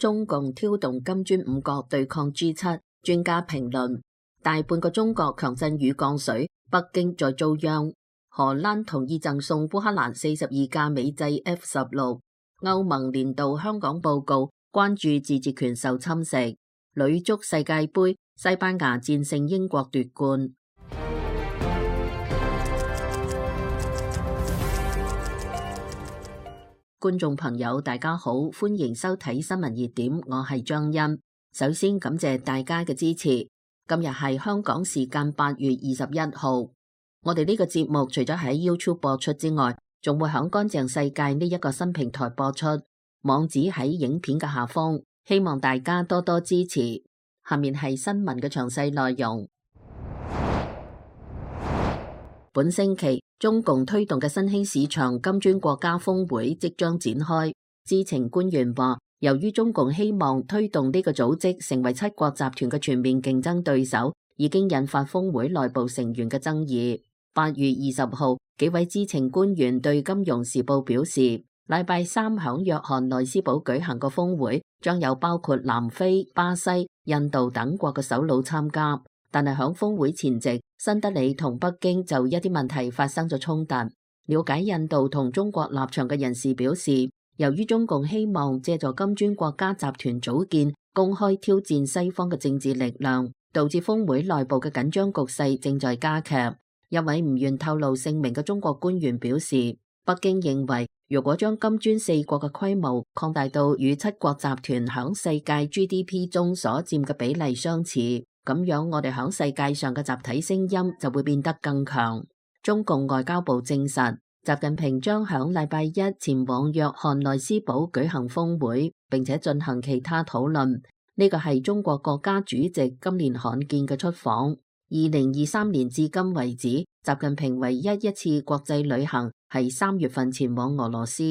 中共挑動金磚五國對抗 G7， 專家評論：大半個中國強震與降水，北京在遭殃。荷蘭同意贈送烏克蘭42架美製 F-16。歐盟年度香港報告關注自治權受侵蝕。女足世界盃，西班牙戰勝英國奪冠。觀眾朋友大家好，歡迎收睇新聞熱點，我係張欣。首先感謝大家嘅支持。今日係香港時間8月21號。我哋呢個節目除咗喺 YouTube 播出之外，仲會響乾淨世界呢一個新平台播出，網址喺影片嘅下方，希望大家多多支持。下面係新聞嘅詳細內容。本星期中共推動嘅新興市場金磚國家峰會即將展開。知情官員話，由於中共希望推動呢個組織成為七國集團嘅全面競爭對手，已經引發峰會內部成員嘅爭議。8月20號，幾位知情官員對《金融時報》表示，禮拜三響約翰內斯堡舉行嘅峰會將有包括南非、巴西、印度等國嘅首腦參加。但係響峰會前夕，新德里同北京就一啲問題發生咗衝突。了解印度同中國立場嘅人士表示，由於中共希望借助金磚國家集團組建，公開挑戰西方嘅政治力量，導致峰會內部嘅緊張局勢正在加劇。一位唔願透露姓名嘅中國官員表示，北京認為如果將金磚四國嘅規模擴大到與七國集團響世界 GDP 中所佔嘅比例相似，咁樣我哋響世界上嘅集體聲音就會變得更強。中共外交部證實，習近平將響禮拜一前往約翰內斯堡舉行峰會，並且進行其他討論。呢個係中國國家主席今年罕見嘅出訪。2023年至今為止，習近平唯一次國際旅行係3月份前往俄羅斯。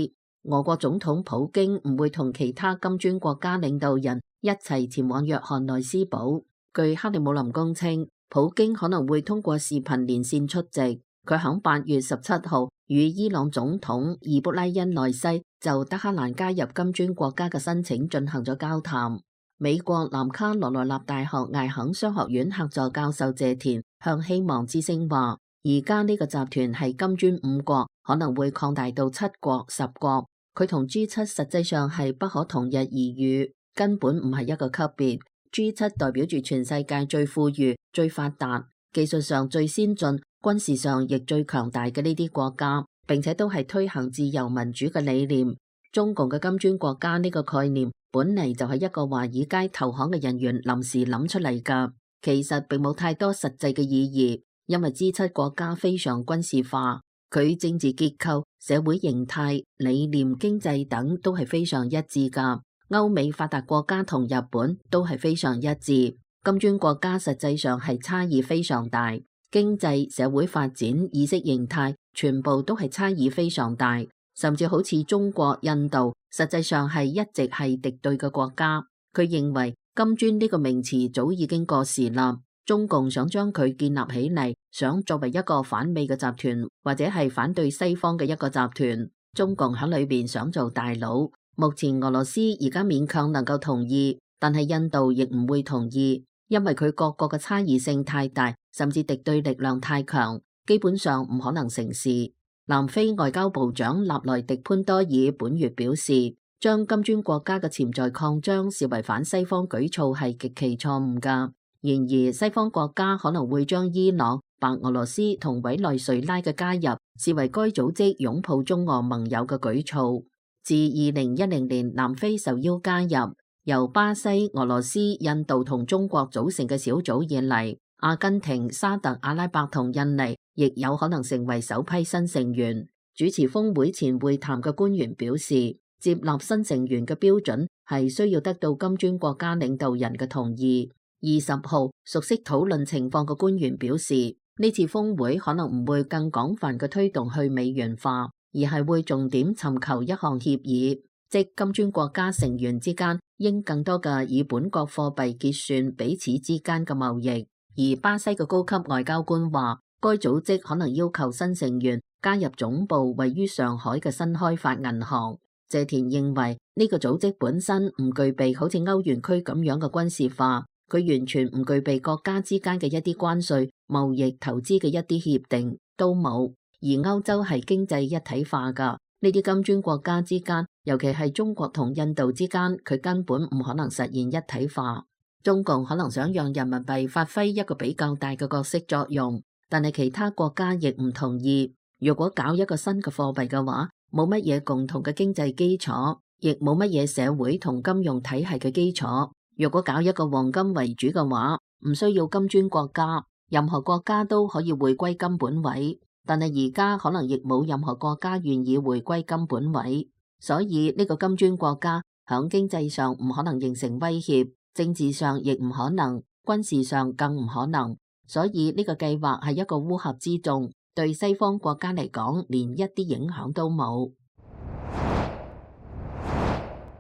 俄國總統普京唔會同其他金磚國家領導人一齊前往約翰內斯堡。據克里姆林宮稱，普京可能會通過視頻連線出席。佢喺8月17號與伊朗總統伊卜拉欣內西就德黑蘭加入金磚國家嘅申請進行咗交談。美國南卡羅來納大學艾肯商學院客座教授謝田向希望之聲話，而家呢個集團係金磚五國，可能會擴大到7國、10國。佢同 G7 實際上係不可同日而語，根本唔係一個級別。G7 代表住全世界最富裕、最發達、技術上最先進、軍事上亦最強大嘅呢啲國家，並且都係推行自由民主嘅理念。中共嘅金磚國家呢個概念本嚟就係一個華爾街投行嘅人員臨時諗出嚟㗎，其實並冇太多實際嘅意義，因為 G7 國家非常軍事化，佢政治結構、社會形態、理念、經濟等都係非常一致㗎。歐美發達國家同日本都係非常一致，金磚國家實際上係差異非常大，經濟、社會發展、意識形態全部都係差異非常大。甚至好似中國、印度，實際上係一直係敵對嘅國家。佢認為金磚呢個名詞早已經過時啦。中共想將佢建立起嚟，想作為一個反美嘅集團，或者係反對西方嘅一個集團。中共喺裏邊想做大佬。目前俄羅斯而家勉強能夠同意，但係印度亦唔會同意，因為佢各國嘅差異性太大，甚至敵對力量太強，基本上唔可能成事。南非外交部長納萊迪潘多爾本月表示，將金磚國家嘅潛在擴張視為反西方舉措係極其錯誤㗎。然而，西方國家可能會將伊朗、白俄羅斯同委內瑞拉嘅加入視為該組織擁抱中俄盟友嘅舉措。自2010年南非受邀加入由巴西、俄羅斯、印度同中國組成嘅小組以嚟，阿根廷、沙特阿拉伯同印尼亦有可能成為首批新成員。主持峰會前會談嘅官員表示，接納新成員嘅標準係需要得到金磚國家領導人嘅同意。20號，熟悉討論情況嘅官員表示，呢次峰會可能唔會更廣泛嘅推動去美元化，而係會重點尋求一項協議，即金磚國家成員之間應更多嘅以本國貨幣結算彼此之間嘅貿易。而巴西嘅高級外交官話，該組織可能要求新成員加入總部位於上海嘅新開發銀行。謝田認為呢個組織本身唔具備好似歐元區咁樣嘅軍事化，佢完全唔具備國家之間嘅一啲關稅、貿易、投資嘅一啲協定都冇。而歐洲係經濟一體化㗎，呢啲金磚國家之間，尤其係中國同印度之間，佢根本唔可能實現一體化。中共可能想讓人民幣發揮一個比較大嘅角色作用，但係其他國家亦唔同意。如果搞一個新嘅貨幣嘅話，冇乜嘢共同嘅經濟基礎，亦冇乜嘢社會同金融體系嘅基礎。如果搞一個黃金為主嘅話，唔需要金磚國家，任何國家都可以回歸金本位。但係而家可能亦冇任何國家願意回歸金本位，所以呢個金磚國家響經濟上唔可能形成威脅，政治上亦唔可能，軍事上更唔可能。所以呢個計劃係一個烏合之眾，對西方國家嚟講連一啲影響都冇。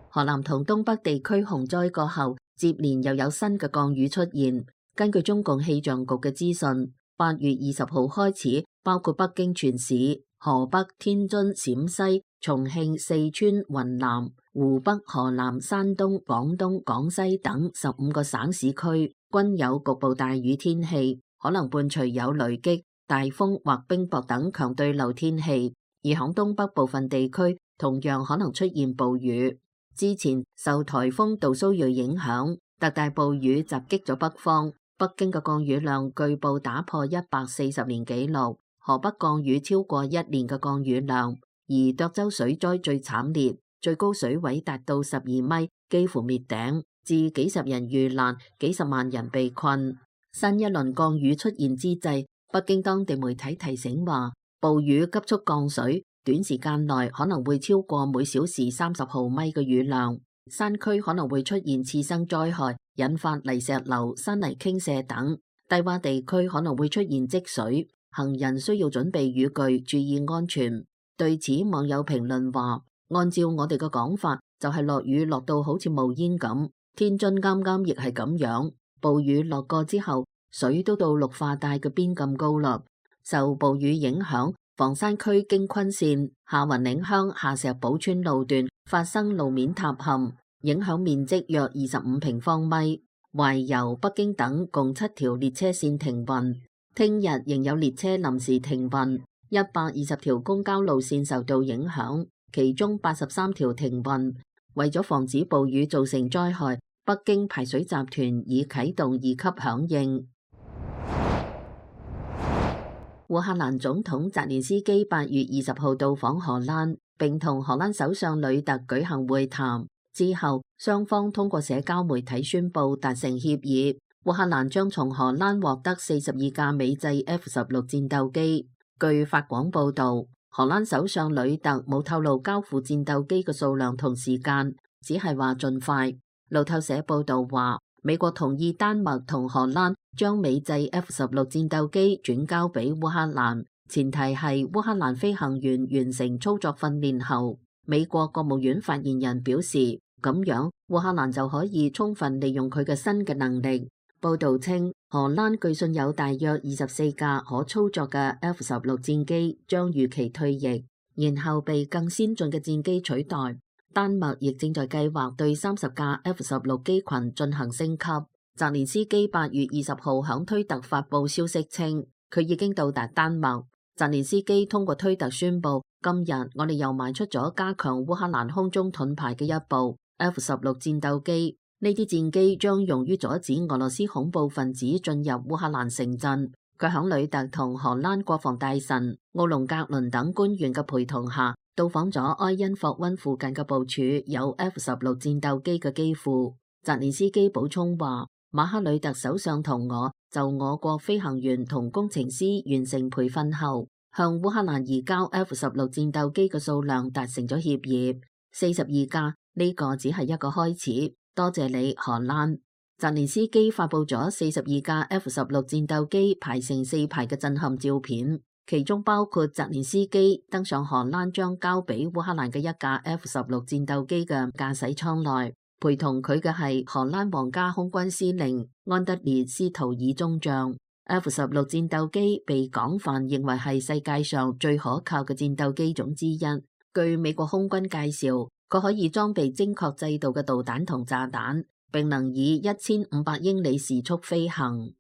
河南同東北地區洪災過後，接連又有新嘅降雨出現。根據中共氣象局嘅資訊，8月20號開始，包括北京全市、河北、天津、陝西、重慶、四川、雲南、湖北、河南、山東、廣東、廣西等15個省市區均有局部大雨天氣，可能伴隨有雷擊、大風或冰雹等強對流天氣。而響東北部分地區同樣可能出現暴雨。之前受颱風杜蘇芮影響，特大暴雨襲擊咗北方，北京嘅降雨量據報打破140年紀錄，河北降雨超過1年嘅降雨量，而涿州水災最慘烈，最高水位達到12米，幾乎滅頂，致幾十人遇難，幾十萬人被困。新一輪降雨出現之際，北京當地媒體提醒話，暴雨急速降水，短時間內可能會超過每小時30毫米嘅雨量，山區可能會出現次生災害，引發泥石流、山泥傾瀉等，低洼地區可能會出現積水，行人需要準備雨具，注意安全。對此，網友評論話，按照我哋嘅講法，就係落雨落到好似冒煙咁，天津啱啱亦係咁樣，暴雨落過之後，水都到綠化帶嘅邊咁高啦。受暴雨影響，房山區京昆線下雲嶺鄉下石堡村路段發生路面塌陷，影響面積約25平方米。懷柔、北京等共7條列車線停運，聽日仍有列車臨時停運，120條公交路線受到影響，其中83條停運。為咗防止暴雨造成災害，北京排水集團已啟動2級響應。烏克蘭總統澤連斯基8月20號到訪荷蘭，並同荷蘭首相呂特舉行會談。之後，雙方通過社交媒體宣布達成協議，烏克蘭將從荷蘭獲得42架美製 F-16戰鬥機。據法廣報道，荷蘭首相呂特冇透露交付戰鬥機嘅數量同時間，只係話盡快。路透社報道話，美國同意丹麥同荷蘭將美製 F-16戰鬥機轉交俾烏克蘭，前提係烏克蘭飛行員完成操作訓練後。美國國務院發言人表示，咁樣烏克蘭就可以充分利用佢嘅新嘅能力。報道稱，荷蘭據信有大約24架可操作嘅 F-16戰機將預期退役，然後被更先進嘅戰機取代。丹麥亦正在計劃對30架 F-16機群進行升級。澤連斯基8月20號響推特發布消息稱，佢已經到達丹麥。澤連斯基通過推特宣布，今日我哋又邁出咗加強烏克蘭空中盾牌嘅一步。F-16戰鬥機，呢啲戰機將用於阻止俄羅斯恐怖分子進入烏克蘭城鎮。佢響呂特同荷蘭國防大臣奧龍格倫等官員嘅陪同下，到訪咗埃因霍溫附近嘅部署有 F-16戰鬥機嘅機庫。澤連斯基補充話，馬克呂特首相同我就我國飛行員同工程師完成培訓後，向烏克蘭移交 F-16戰鬥機嘅數量達成咗協議，42架，呢個只係一個開始。多謝你，荷蘭。澤連斯基發布咗42架 F-16戰鬥機排成4排嘅震撼照片，其中包括澤連斯基登上荷蘭將交俾烏克蘭嘅一架 F-16戰鬥機嘅駕駛艙內，陪同佢嘅係荷蘭皇家空軍司令安德烈斯圖爾中將。F-16戰鬥機被廣泛認為係世界上最可靠嘅戰鬥機種之一。據美國空軍介紹，佢可以裝備精確制導嘅導彈同炸彈，並能以1500英里時速飛行。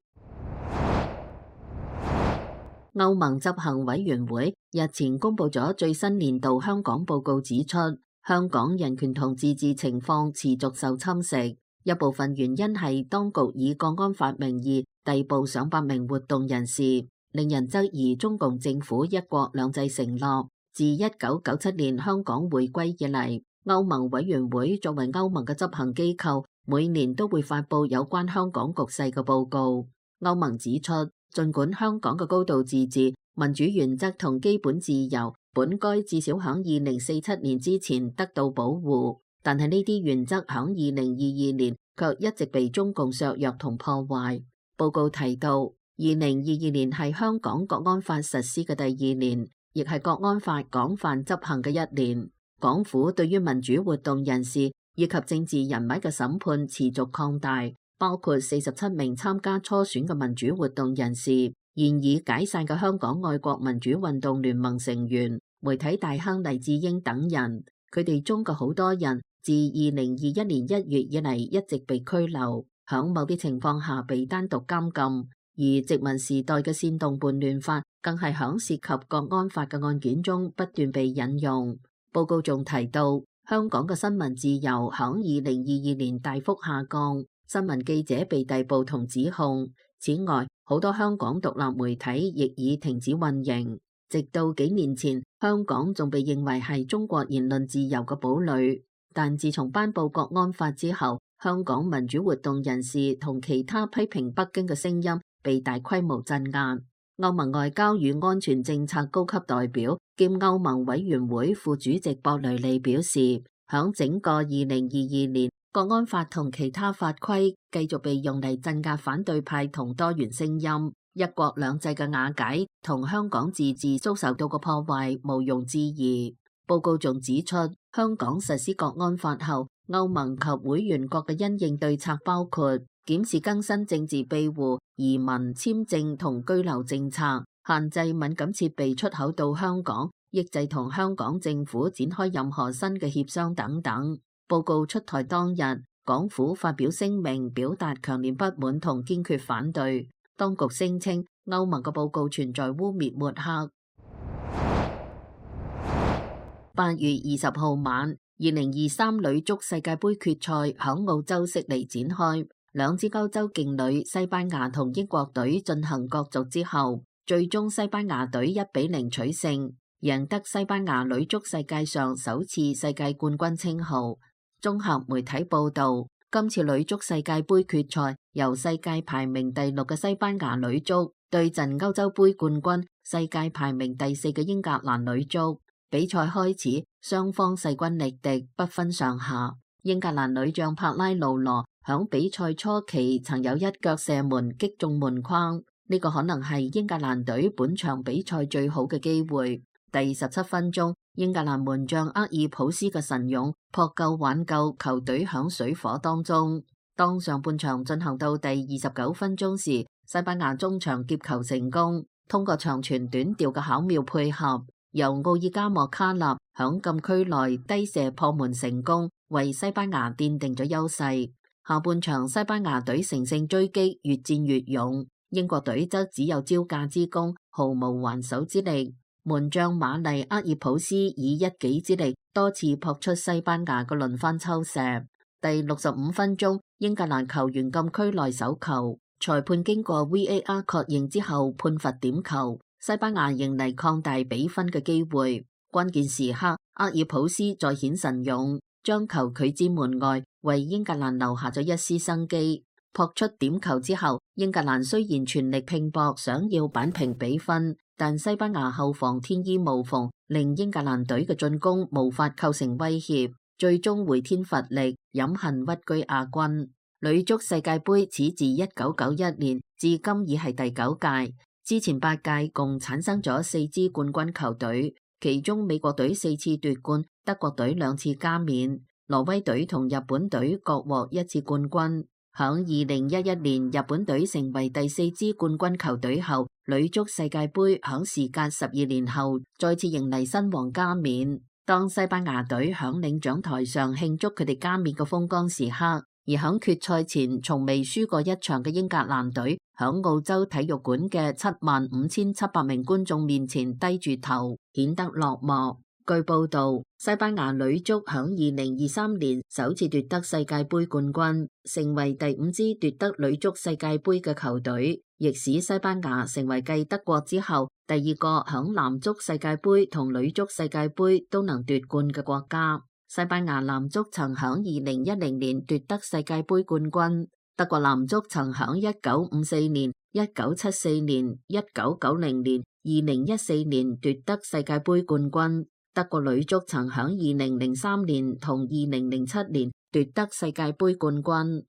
歐盟執行委員會日前公布咗最新年度香港報告，指出香港人權同自治情況持續受侵蝕，一部分原因係當局以國安法名義逮捕上百名活動人士，令人質疑中共政府一國兩制承諾。自1997年香港回歸以嚟，歐盟委員會作為歐盟嘅執行機構，每年都會發布有關香港局勢嘅報告。歐盟指出，儘管香港嘅高度自治、民主原則同基本自由本該至少響2047年之前得到保護，但係呢啲原則響2022年卻一直被中共削弱同破壞。報告提到，2022年係香港國安法實施嘅第2年，亦係國安法廣泛執行嘅1年。港府對於民主活動人士以及政治人物嘅審判持續擴大，包括47名參加初選嘅民主活動人士、現已解散嘅香港愛國民主運動聯盟成員、媒體大亨黎智英等人。佢哋中嘅好多人自2021年1月以嚟一直被拘留，響某啲情況下被單獨監禁。而殖民時代嘅煽動叛亂法更係響涉及國安法嘅案件中不斷被引用。報告仲提到，香港嘅新聞自由響2022年大幅下降，新聞記者被逮捕同指控。此外，好多香港獨立媒體亦已停止運營。直到幾年前，香港仲被認為係中國言論自由嘅堡壘。但自從頒布國安法之後，香港民主活動人士同其他批評北京嘅聲音被大規模鎮壓。歐盟外交與安全政策高級代表兼歐盟委員會副主席博雷利表示，響整個2022年，國安法同其他法規繼續被用嚟鎮壓反對派同多元聲音，一國兩制嘅瓦解同香港自治遭受到嘅破壞毋庸置疑。報告仲指出，香港實施國安法後，歐盟及會員國嘅因應對策包括檢視更新政治庇護、移民、簽證同居留政策，限制敏感設備出口到香港，抑制同香港政府展開任何新嘅協商等等。報告出台當日，港府發表聲明，表達強烈不滿同堅決反對。當局聲稱歐盟嘅報告存在污衊抹黑。8月20號晚，2023女足世界盃決賽響澳洲悉尼展開，兩支歐洲勁旅西班牙同英國隊進行角逐之後，最終西班牙隊1-0取勝，贏得西班牙女足世界上首次世界冠軍稱號。綜合媒體報道，今次女足世界盃決賽由世界排名第6嘅西班牙女足對陣歐洲盃冠軍世界排名第4嘅英格蘭女足。比賽開始，雙方勢均力敵，不分上下。英格蘭女將帕拉魯羅響比賽初期曾有一腳射門擊中門框，呢個可能係英格蘭隊本場比賽最好嘅機會。第17分鐘，英格蘭門將厄爾普斯嘅神勇撲救挽救球隊響水火當中。當上半場進行到第29分鐘時，西班牙中場劫球成功，通過長傳短調嘅巧妙配合，由奧爾加莫卡納響禁區內低射破門成功，為西班牙奠定咗優勢。下半場西班牙隊乘勝追擊，越戰越勇，英國隊則只有招架之功，毫無還手之力。門將馬麗厄爾普斯以一己之力多次撲出西班牙嘅輪番抽射。第65分鐘，英格蘭球員禁區內手球，裁判經過 VAR 確認之後判罰點球。西班牙迎嚟擴大比分嘅機會，關鍵時刻，厄爾普斯再顯神勇，將球拒之門外，為英格蘭留下咗一絲生機。撲出點球之後，英格蘭雖然全力拼搏，想要扳平比分，但西班牙後防天衣無縫，令英格蘭隊嘅進攻無法構成威脅，最終回天乏力，飲恨屈居亞軍。女足世界盃始自1991年至今已係第9屆。之前8屆共產生咗4支冠軍球隊，其中美國隊4次奪冠，德國隊2次加冕，挪威隊同日本隊各獲1次冠軍。響2011年，日本隊成為第4支冠軍球隊後，女足世界盃響時隔12年後再次迎嚟新王加冕。當西班牙隊響領獎台上慶祝佢哋加冕嘅風光時刻，而響決賽前從未輸過一場嘅英格蘭隊，響澳洲體育館嘅75,700名觀眾面前低住頭，顯得落寞。據報道，西班牙女足響2023年首次奪得世界盃冠軍，成為第5支奪得女足世界盃嘅球隊，亦使西班牙成為繼德國之後第2個響男足世界盃同女足世界盃都能奪冠嘅國家。西班牙男足曾響2010年奪得世界盃冠軍，德國男足曾響1954年、1974年、1990年、2014年奪得世界盃冠軍。德國女足曾響2003年同2007年奪得世界盃冠軍。